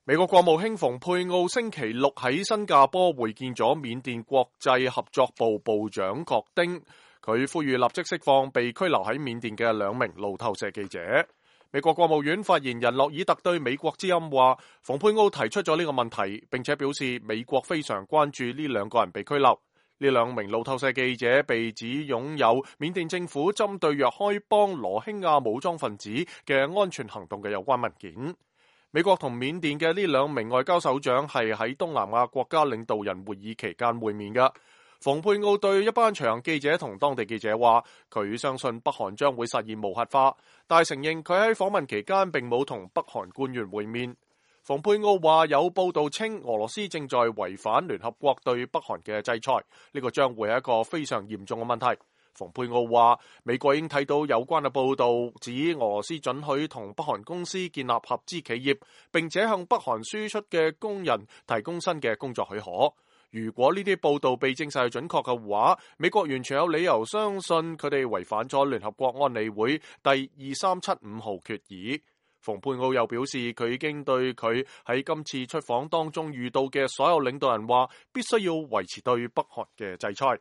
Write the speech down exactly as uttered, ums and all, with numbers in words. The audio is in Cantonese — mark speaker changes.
Speaker 1: 美國國務卿蓬佩奧星期六喺新加坡會見咗緬甸國際合作部部長郭丁，佢呼籲立即釋放被拘留喺緬甸嘅兩名路透社記者。美國國務院發言人洛爾特對美國之音話，蓬佩奧提出咗呢個問題，並且表示美國非常關注呢兩個人被拘留。呢兩名路透社記者被指擁有緬甸政府針對若開邦羅興亞武裝分子嘅安全行動嘅有關文件。美國同緬甸嘅呢兩名外交首長係喺東南亞國家領導人會議期間會面嘅。蓬佩奧對一班隨行記者同當地記者話，佢相信北韓將會實現無核化，但係承認佢喺訪問期間並冇同北韓官員會面。蓬佩奧話有報道稱俄羅斯正在違反聯合國對北韓嘅制裁，呢個將會係一個非常嚴重嘅問題。蓬佩奧話，美國已經睇到有關嘅報道，指俄羅斯准許同北韓公司建立合資企業，並且向北韓輸出嘅工人提供新嘅工作許可。如果呢啲報道被證實係準確嘅話，美國完全有理由相信佢哋違反咗聯合國安理會第二三七五號決議。蓬佩奧又表示，佢已經對佢喺今次出訪當中遇到嘅所有領導人話，必須要維持對北韓嘅制裁。